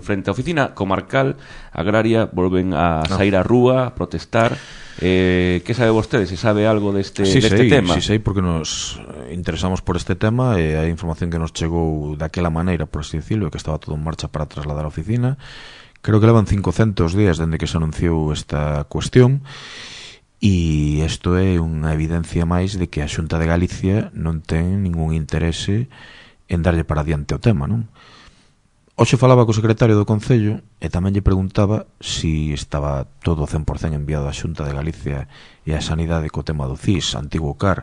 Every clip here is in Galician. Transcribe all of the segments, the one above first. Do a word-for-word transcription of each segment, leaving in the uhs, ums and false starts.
frente á oficina comarcal agraria volven a sair á rúa, a protestar. Eh, que sabe vostede? Se sabe algo deste, sí, deste sei, tema? Sí, sei, porque nos interesamos por este tema e a información que nos chegou daquela maneira, por así decirlo, que estaba todo en marcha para trasladar a oficina. Creo que levan cincocentos días dende que se anunciou esta cuestión e isto é unha evidencia máis de que a Xunta de Galicia non ten ningún interese en darlle para adiante o tema, non? Hoxe falaba co secretario do Concello e tamén lle preguntaba si estaba todo cen por cento enviado á Xunta de Galicia e á Sanidade co tema do C I S, antigo C A R,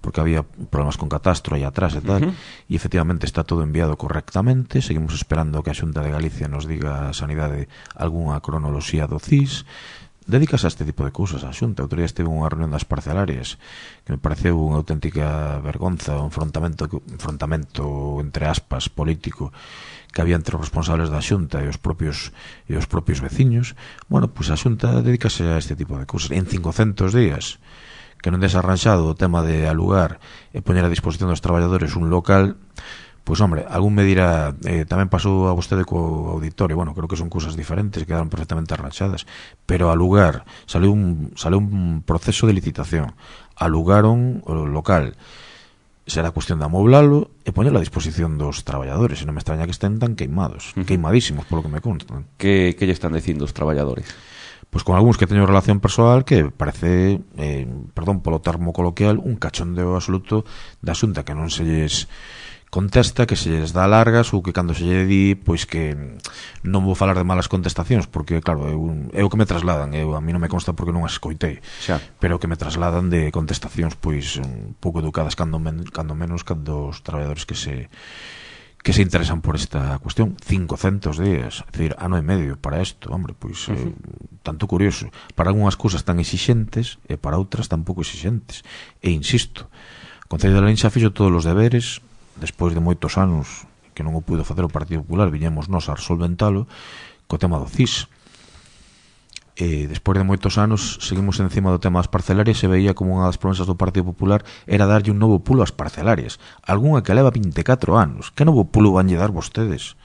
porque había problemas con catastro aí atrás e tal, uh-huh. e efectivamente está todo enviado correctamente. Seguimos esperando que a Xunta de Galicia nos diga a Sanidade algunha cronoloxía do C I S. Dedícase a este tipo de cousas a Xunta. Outro día estive unha reunión das parcelarias que me pareceu unha auténtica vergonza, un enfrontamento, enfrontamento entre aspas político que había entre os responsables da Xunta e os propios e os propios veciños. Bueno, pois pues a Xunta dedícase a este tipo de cousas en cincocentos días, que non desarranxado o tema de alugar e poñer a disposición dos traballadores un local. Pois, pues, hombre, algún me dirá, eh, tamén pasou a vostede co auditorio. Bueno, creo que son cousas diferentes, quedaron perfectamente arranxadas, pero alugar, saliu un, saliu un proceso de licitación, alugaron o local, será cuestión de amoblalo e poñerlo a disposición dos traballadores, e non me extraña que estén tan queimados, uh-huh. queimadísimos, polo que me constan. Que, que lle están dicindo os traballadores? Pois con algúns que teño relación persoal que parece, eh, perdón polo termo coloquial, un cachondeo absoluto da Xunta, que non se lles contesta, que se lles dá largas, ou que cando se lle di, pois que non vou falar de malas contestacións, porque claro, eu, é o que me trasladan, eu, a mí non me consta porque non as escoitei, xa. Pero que me trasladan de contestacións pois un pouco educadas, cando, men, cando menos cando os traballadores que se que se interesan por esta cuestión. Cincocentos días, é dicir, ano e medio para isto, hombre, pois uh-huh. eh, tanto curioso, para algunhas cousas tan exixentes e para outras tan pouco exixentes, e insisto, o Concello de Lalín xa fixo todos os deberes. Despois de moitos anos que non o puido facer o Partido Popular, viñemos nós a resolventalo co tema do C I S. E despois de moitos anos seguimos encima do tema das parcelarias e veía como unha das promesas do Partido Popular era darlle un novo pulo ás parcelarias. Algúnha que leva vinte e catro anos. Que novo pulo vanlle dar vostedes?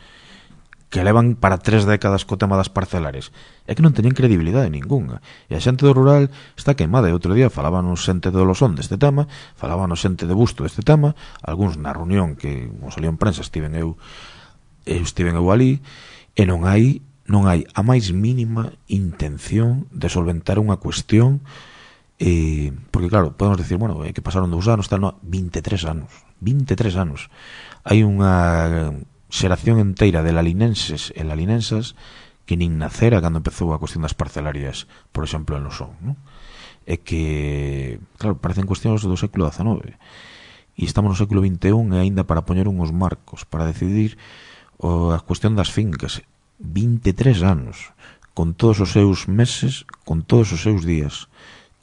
Que levan para tres décadas co tema das parcelarias. É que non teñen credibilidade ninguna. E a xente do rural está queimada. E outro día falábanos xente do Losón deste tema, falábanos xente de Busto deste tema, algúns na reunión que, como salió en prensa, estiven eu, eu estiven eu ali, e non hai non hai a máis mínima intención de solventar unha cuestión, eh, porque claro, podemos decir, bueno, é que pasaron dous anos, tal, no, vinte e tres anos, vinte e tres anos. Hai unha xeración enteira de lalinenses e lalinensas que nin nacera cando empezou a cuestión das parcelarias, por exemplo, en Losón, non? É que, claro, parecen cuestións do século dezanove e estamos no século vinte e un e aínda para poñer uns marcos para decidir o, a cuestión das fincas. Vinte e tres anos, con todos os seus meses, con todos os seus días,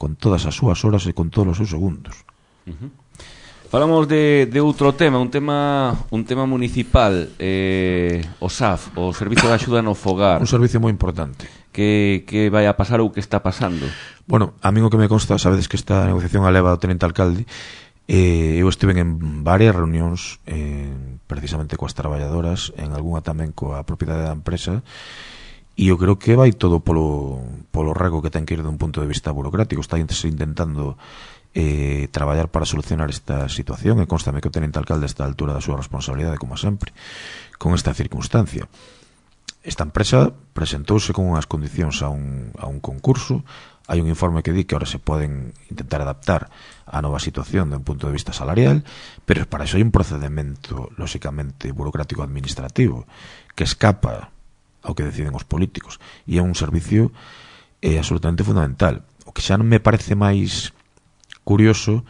con todas as súas horas e con todos os seus segundos. Uh-huh. Falamos de, de outro tema, un tema un tema municipal, eh, o S A F, o Servicio de Axuda no Fogar. Un servicio moi importante. Que, que vai a pasar ou que está pasando? Bueno, a mí o que me consta, sabedes que esta negociación a leva do tenente alcalde, eh, eu estive en varias reunións eh, precisamente coas traballadoras, en algunha tamén coa propiedade da empresa, e eu creo que vai todo polo, polo rego que ten que ir dun punto de vista burocrático. Está intentando eh, traballar para solucionar esta situación, e constame que o tenente alcalde está a altura da súa responsabilidade, como sempre, con esta circunstancia. Esta empresa presentouse con unhas condicións a un, a un concurso. Hai un informe que di que ahora se poden intentar adaptar á nova situación de un punto de vista salarial, pero para iso hai un procedimento lóxicamente burocrático administrativo que escapa ao que deciden os políticos, e é un servicio eh, absolutamente fundamental. O que xa non me parece máis curioso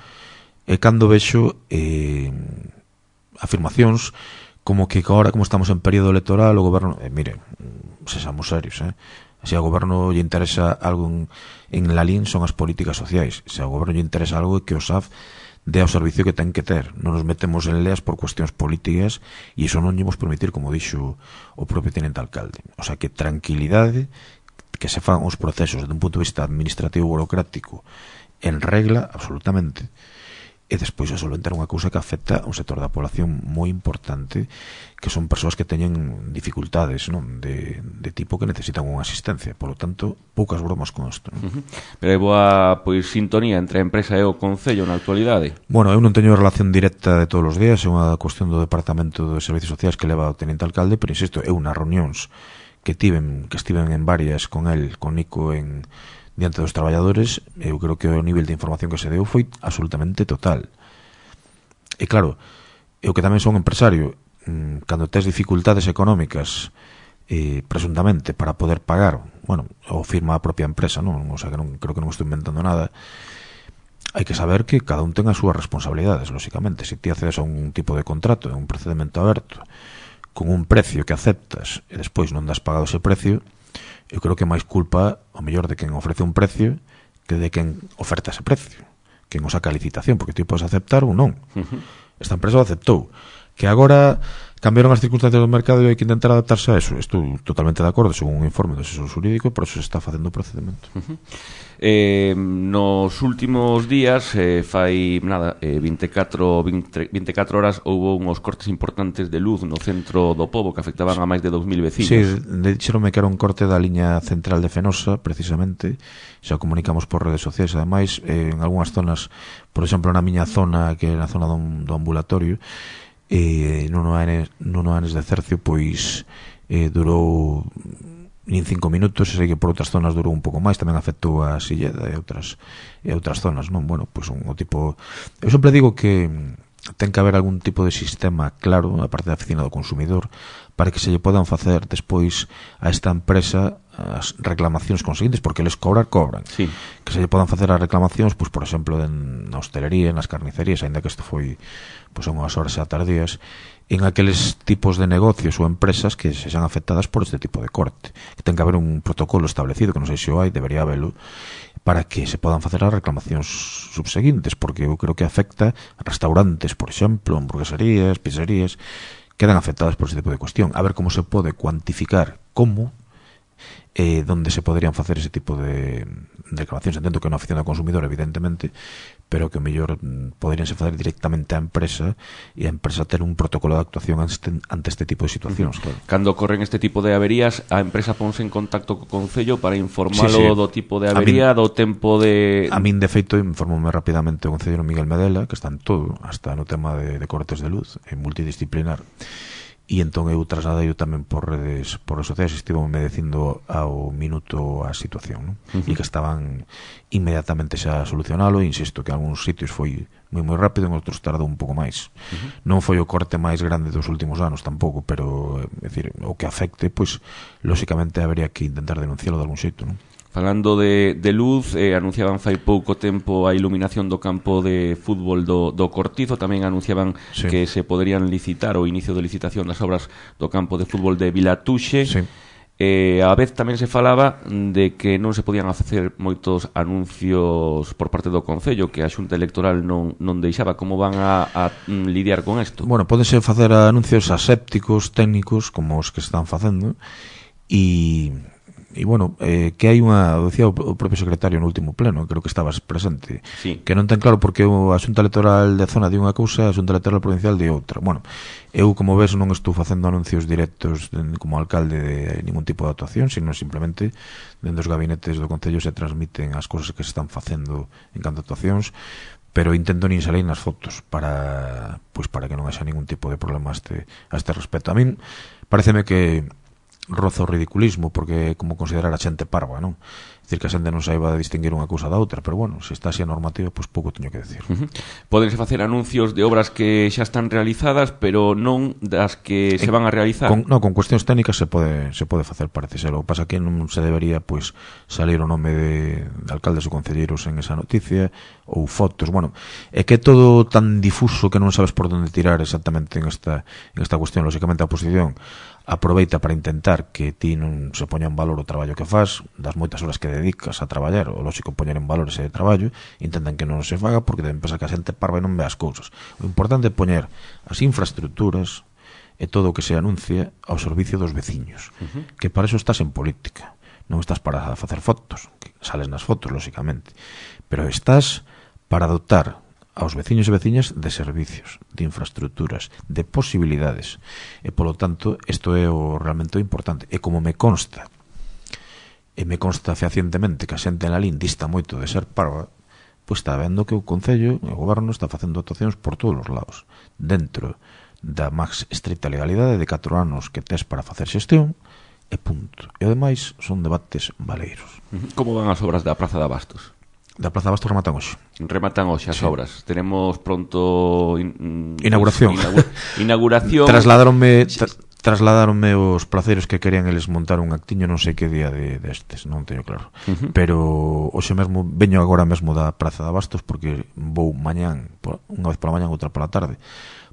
é cando vexo eh, afirmacións como que agora, como estamos en período electoral, o goberno, eh, mire, sexamos serios, eh se ao goberno lle interesa algo en, en Lalín son as políticas sociais. Se ao goberno lle interesa algo é que o S A F dé ao servicio que ten que ter. Non nos metemos en leas por cuestións políticas, e iso non lle imos permitir, como dixo o propio tenente alcalde. O sea, que tranquilidade, que se fan os procesos desde un punto de vista administrativo burocrático en regla, absolutamente. e despois a solventar unha cousa que afecta a un sector da población moi importante, que son persoas que teñen dificultades, non, de, de tipo que necesitan unha asistencia. Por lo tanto, poucas bromas con isto, non? Uh-huh. Pero hai boa, pois, sintonía entre a empresa e o Concello na actualidade? Bueno, eu non teño relación directa de todos os días, é unha cuestión do Departamento de Servicios Sociais que leva o Teniente Alcalde, pero insisto, eu nas reunións que tiven, que estiven en varias con el, con Nico, en diante dos traballadores, eu creo que o nivel de información que se deu foi absolutamente total. E claro, eu que tamén son empresario, cando tes dificultades económicas, eh, presuntamente, para poder pagar, bueno, ou firma a propia empresa, non? O sea, que non, creo que non estou inventando nada. Hai que saber que cada un ten as súas responsabilidades, lóxicamente. Se ti accedes a un tipo de contrato, a un procedimento aberto, con un precio que aceptas, e despois non das pagado ese precio, eu creo que máis culpa, o mellor, de quen ofrece un precio que de quen oferta ese precio, quen o saca a licitación, porque ti podes aceptar ou non. Uh-huh. Esta empresa o aceptou. Que agora cambiaron as circunstancias do mercado e hai que intentar adaptarse a eso. Estou totalmente de acordo, según un informe do asesor xurídico, e por eso se está facendo o procedimento. Uh-huh. Eh, nos últimos días, eh, fai nada, eh, veinticuatro, veinte, veinticuatro horas houve uns cortes importantes de luz no centro do pobo que afectaban a máis de dos mil vecinos. Sí, dixeronme que era un corte da liña central de Fenosa, precisamente. Xa comunicamos por redes sociais, ademais, eh, en algunhas zonas, por exemplo, na miña zona, que é na zona do, do ambulatorio, eh, non no anes de Cercio, pois eh, durou nin cinco minutos, e sei que por outras zonas durou un pouco máis, tamén afectou a Silleda e outras e outras zonas, non? Bueno, pois un o tipo, eu sempre digo que ten que haber algún tipo de sistema claro a parte da oficina do consumidor para que se lle podan facer despois a esta empresa as reclamacións conseguintes, porque eles cobrar, cobran. Sí. Que se lle podan facer as reclamacións, pois, por exemplo, na hostelería, nas carnicerías, ainda que isto foi pois unhas horas xa tardías, en aqueles tipos de negocios ou empresas que se xan afectadas por este tipo de corte. Que ten que haber un protocolo establecido, que non sei se o hai, debería habelo, para que se podan facer as reclamacións subseguintes, porque eu creo que afecta a restaurantes, por exemplo, hamburgueserías, pizzerías, quedan afectadas por ese tipo de cuestión. A ver como se pode cuantificar como eh, donde se poderían facer ese tipo de reclamacións. Entendo que na oficina do consumidor, evidentemente, pero que o mellor poderíanse facer directamente á empresa e a empresa ter un protocolo de actuación ante este tipo de situacións. Uh-huh. Claro. Cando ocorren este tipo de averías, a empresa ponse en contacto co Concello para informalo sí, sí. do tipo de avería, min, do tempo de... A min, de feito, informoume rapidamente o Concello Miguel Medela, que está en todo, hasta no tema de, de cortes de luz, en multidisciplinar. E entón eu trasladei tamén por redes por redes sociais, estivo me dicindo ao minuto a situación, non? Uh-huh. E que estaban inmediatamente xa a solucionalo, e insisto que en algúns sitios foi moi moi rápido, en outros tardou un pouco máis. Uh-huh. Non foi o corte máis grande dos últimos anos tampouco, pero é dicir, o que afecte, pois lóxicamente habería que intentar denuncialo de algún xeito, non? Falando de, de luz, eh, anunciaban fai pouco tempo a iluminación do campo de fútbol do, do Cortizo. Tamén anunciaban sí. que se poderían licitar o inicio de licitación das obras do campo de fútbol de Vilatuxe. Sí. Eh, a vez tamén se falaba de que non se podían facer moitos anuncios por parte do Concello, que a Xunta Electoral non, non deixaba. Como van a, a lidiar con isto? Bueno, pódense facer anuncios asépticos, técnicos, como os que están facendo, e... E, bueno, eh, que hai unha, decía o propio secretario no último pleno, creo que estabas presente, sí. que non ten claro porque a Xunta Electoral de zona de unha cousa, a Xunta Electoral Provincial de outra. Bueno, eu, como ves, non estou facendo anuncios directos de, como alcalde de ningún tipo de actuación, sino simplemente dentro dos gabinetes do Concello se transmiten as cousas que se están facendo en canto a actuacións, pero intento nin salir nas fotos para, pois, para que non haxa ningún tipo de problema a este, a este respecto. A min pareceme que roza o ridiculismo, porque como considerar a xente parva, non? Dicir que a xente non saiba distinguir unha cousa da outra, pero bueno, se está así a normativa, pois pouco teño que decir. Uh-huh. Pódense facer anuncios de obras que xa están realizadas, pero non das que se van a realizar. Con, no, con cuestións técnicas se pode se pode facer, parece ser. O que pasa que non se debería, pois, salir o nome de, de alcaldes ou concelleiros en esa noticia, ou fotos. Bueno, é que é todo tan difuso que non sabes por onde tirar exactamente en esta en esta cuestión. Lóxicamente a oposición aproveita para intentar que ti non se poña en valor o traballo que faz, das moitas horas que dedicas a traballar, o lógico poñer en valor ese traballo, intentan que non se faga porque deben pensar que a xente parva e non ve as cousas. O importante é poñer as infraestructuras e todo o que se anuncia ao servicio dos veciños, uh-huh. que para eso estás en política, non estás para facer fotos, que sales nas fotos, lóxicamente, pero estás para dotar aos veciños e veciñas de servicios, de infraestructuras, de posibilidades. E, polo tanto, isto é o realmente importante. E como me consta, e me consta fehacientemente que a xente en Lalín dista moito de ser parva, pois está vendo que o Concello, o Goberno, está facendo actuacións por todos os lados, dentro da máis estricta legalidade de catro anos que tes para facer xestión, e punto. E, ademais, son debates valeiros. Como van as obras da Praza de Abastos? Da Praza de Abastos rematan hoxe. Rematan hoxe as sí. obras. Tenemos pronto in, inauguración. Inaugura, inauguración. Trasladáronme tra, trasladáronme os praceros que querían eles montar un actiño, non sei que día de destes, non teño claro. Uh-huh. Pero hoxe mesmo veño agora mesmo da Praza de Abastos porque vou mañán, unha vez pola mañán, outra pola tarde,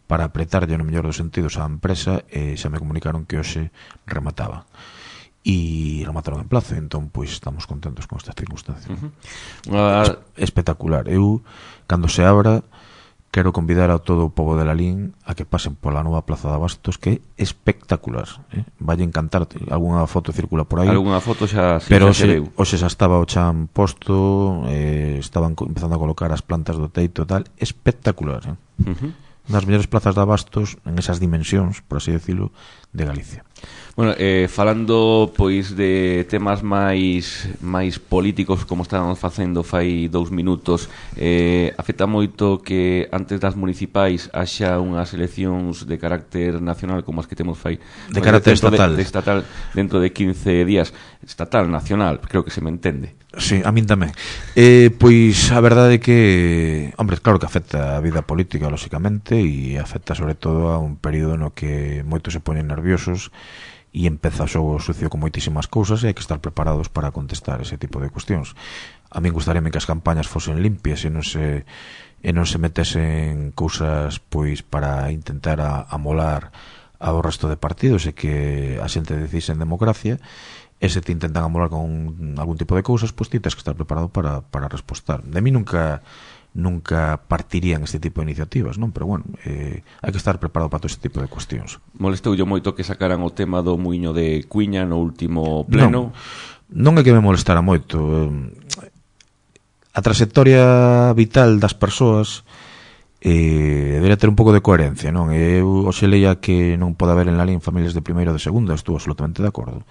para apretarlle no mellor dos sentidos á empresa, e xa me comunicaron que hoxe remataba. E remataron en plazo, entón pois estamos contentos con esta circunstancia. Uh-huh. uh... Es, espectacular. Eu, cando se abra, quero convidar a todo o pobo de Lalín a que pasen pola nova Plaza de Abastos, que é espectacular, eh? Vai encantar. Algúnha foto circula por aí, algúnha foto xa, sí, pero xa hoxe, hoxe xa estaba o chan posto, eh, estaban empezando a colocar as plantas do teito e tal. Espectacular, eh? Uh-huh. Das mellores plazas de Abastos en esas dimensións, por así decirlo, de Galicia. Bueno, eh, falando pois de temas máis máis políticos, como estábamos facendo fai dous minutos, eh, afecta moito que antes das municipais haxa unhas eleccións de carácter nacional como as que temos fai de carácter estatal. De, de estatal dentro de quince días. Estatal, nacional, creo que se me entende. Sí, a min tamén. Eh, pois a verdade é que, hombre, claro que afecta a vida política, lóxicamente, e afecta sobre todo a un período no que moitos se poñen nerviosos e empeza o xogo sucio con moitísimas cousas, e hai que estar preparados para contestar ese tipo de cuestións. A min gustaríame que as campañas fosen limpias e non se e non se metesen cousas pois para intentar a, amolar ao resto de partidos, e que a xente decise en democracia. E se te intentan amolar con algún tipo de cousas, pois ti tens que estar preparado para, para respostar. De mí nunca nunca partirían este tipo de iniciativas, non? Pero, bueno, eh, hai que estar preparado para todo este tipo de cuestións. Molestou yo moito que sacaran o tema do muiño de Cuiña no último pleno? Non, non é que me molestara moito. A trayectoria vital das persoas eh, debería ter un pouco de coherencia, non? Eu hoxe leía que non pode haber en Lalín familias de primeiro ou de segunda, estou absolutamente de acordo.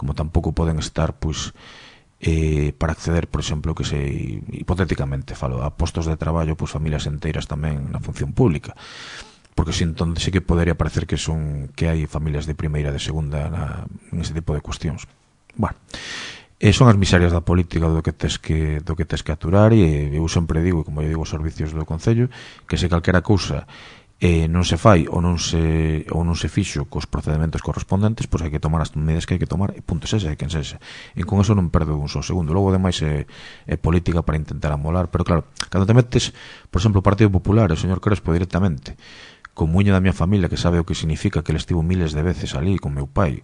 Como tampouco poden estar, pois, eh, para acceder, por exemplo, que se hipotéticamente falo, a postos de traballo, pois familias enteiras tamén na función pública, porque si entón sí que podería parecer que son que hai familias de primeira e de segunda na, en ese tipo de cuestións. Bueno, eh, son as miserias da política do que tes que do que tes que aturar, e eu sempre digo, como eu digo aos servicios do Concello, que se calquera cousa eh, non se fai ou non se ou non se fixo cos procedementos correspondentes, pois hai que tomar as medidas que hai que tomar, e punto, sexa, e quen sexa. E con eso non perdo un só segundo. Logo, ademais, é, é política para intentar amolar, pero claro, cando te metes, por exemplo, o Partido Popular, o señor Crespo directamente, con muño da miña familia, que sabe o que significa, que ele estivo miles de veces ali con meu pai,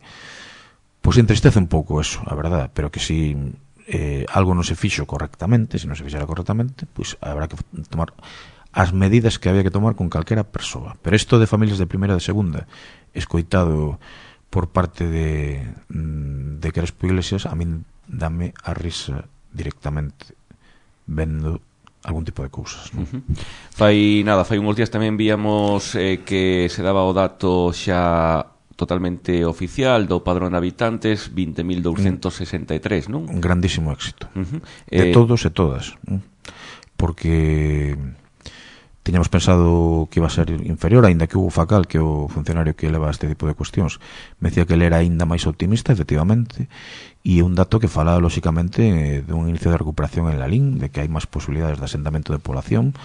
pois entristece un pouco eso, a verdade, pero que si eh, algo non se fixo correctamente, se non se fixera correctamente, pois habrá que tomar as medidas que había que tomar con calquera persoa. Pero isto de familias de primeira e de segunda, escoitado por parte de, de Crespo Iglesias, a min dame a risa directamente vendo algún tipo de cousas, non? Uh-huh. Fai nada, fai uns días tamén víamos eh, que se daba o dato xa totalmente oficial do padrón de habitantes, vinte mil douscentos sesenta e tres, non? Un grandísimo éxito. Uh-huh. De eh... todos e todas. Porque tiñamos pensado que iba a ser inferior, aínda que Hugo Facal, que é o funcionario que leva este tipo de cuestións, me decía que ele era aínda máis optimista, efectivamente, e é un dato que fala, lóxicamente, dun inicio de recuperación en Lalín, de que hai máis posibilidades de asentamento de población,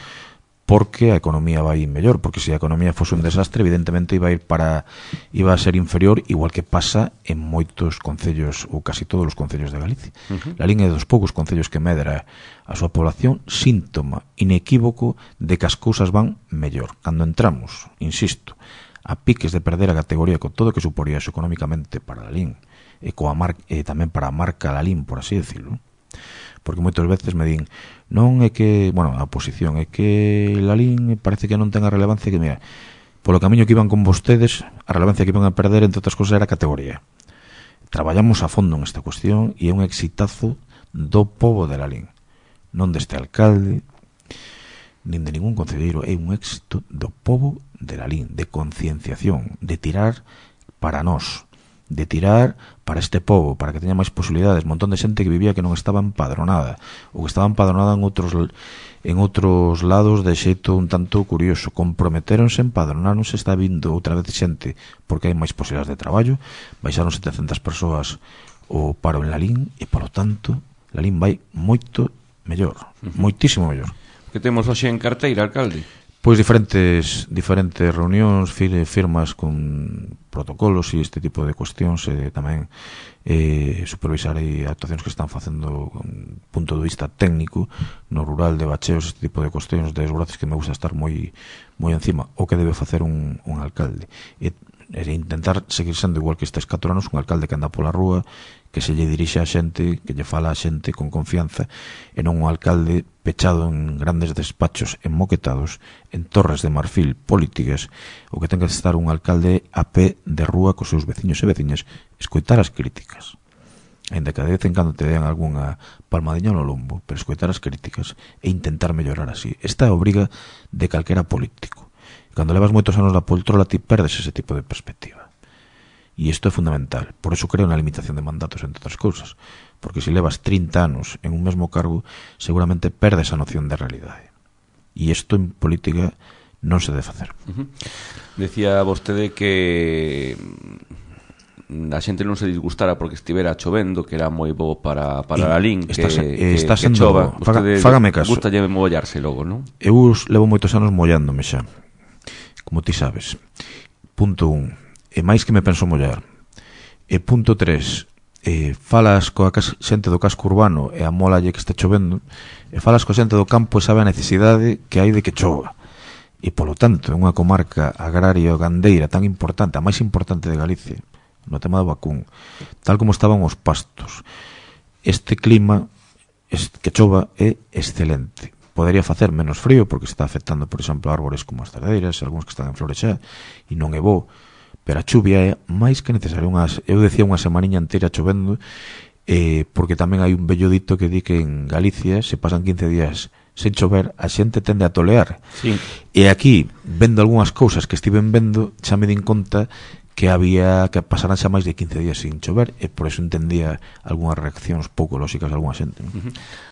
porque a economía vai mellor, porque se a economía fose un desastre, evidentemente iba a ir para iba a ser inferior, igual que pasa en moitos concellos ou casi todos os concellos de Galicia. Uh-huh. Lalín é dos poucos concellos que medra a súa población, síntoma inequívoco de que as cousas van mellor. Cando entramos, insisto, a piques de perder a categoría con todo o que suporía eso económicamente para Lalín e coa mar, e tamén para a marca Lalín, por así decirlo, porque moitas veces me din non é que, bueno, a oposición é que Lalín parece que non ten a relevancia que, mira, polo camiño que iban con vostedes, a relevancia que iban a perder, entre outras cosas, era a categoría. Traballamos a fondo en esta cuestión e é un exitazo do pobo de Lalín, non deste alcalde, nin de ningún concelleiro, é un éxito do pobo de Lalín, de concienciación, de tirar para nós, de tirar para este pobo, para que teña máis posibilidades, montón de xente que vivía que non estaba empadronada, ou que estaba empadronada en outros en outros lados de xeito un tanto curioso, comprometeronse, empadronaronse, está vindo outra vez xente porque hai máis posibilidades de traballo, baixaron setecentas persoas o paro en Lalín e, polo tanto, Lalín vai moito mellor, uh-huh. moitísimo mellor. Que temos hoxe en carteira, alcalde? Pois diferentes diferentes reunións, firmas con protocolos e este tipo de cuestións, e tamén eh, supervisar aí actuacións que están facendo con punto de vista técnico no rural, de bacheos, este tipo de cuestións, de desbraces que me gusta estar moi moi encima, o que debe facer un, un alcalde e, e intentar seguir sendo igual que estes catro anos, un alcalde que anda pola rúa, que se lle dirixe a xente, que lle fala a xente con confianza, e non un alcalde pechado en grandes despachos enmoquetados, en torres de marfil políticas, o que ten que estar un alcalde a pé de rúa cos seus veciños e veciñas, escoitar as críticas, ainda que de vez en cando te den algunha palmadiña no lombo, pero escoitar as críticas e intentar mellorar así. Esta é a obriga de calquera político. Cando levas moitos anos na poltrola, ti perdes ese tipo de perspectiva. E isto é fundamental. Por eso creo na limitación de mandatos, entre outras cousas. Porque se levas trinta anos en un mesmo cargo, seguramente perdes a noción de realidade. E isto en política non se debe facer. Uh-huh. Decía vostede que a xente non se disgustara porque estivera chovendo, que era moi bo para, para Lalín, que, está, que, está que sendo, chova. Faga, fágame caso. Gusta lle mollarse logo, non? Eu levo moitos anos mollándome xa, como ti sabes. Punto un. E máis que me penso mollar. E punto tres, eh, falas coa xente do casco urbano e a molalle que este chovendo, e falas coa xente do campo e sabe a necesidade que hai de que chova. E polo tanto, é unha comarca agraria ou gandeira tan importante, a máis importante de Galicia, no tema do vacún, tal como estaban os pastos. Este clima que chova é excelente. Podería facer menos frío porque está afectando, por exemplo, árbores como as cerdeiras, algúns que están en flores xa, e non é bo. Pero a chuvia é máis que necesaria. Unhas, eu decía unha semaniña inteira chovendo, eh, porque tamén hai un bello dito que di que en Galicia se pasan quince días sen chover, a xente tende a tolear. Sí. E aquí, vendo algunhas cousas que estiven vendo, xa me din conta que había que pasaran xa máis de quince días sin chover, e por eso entendía algunhas reaccións pouco lóxicas de algunha xente. Uh-huh.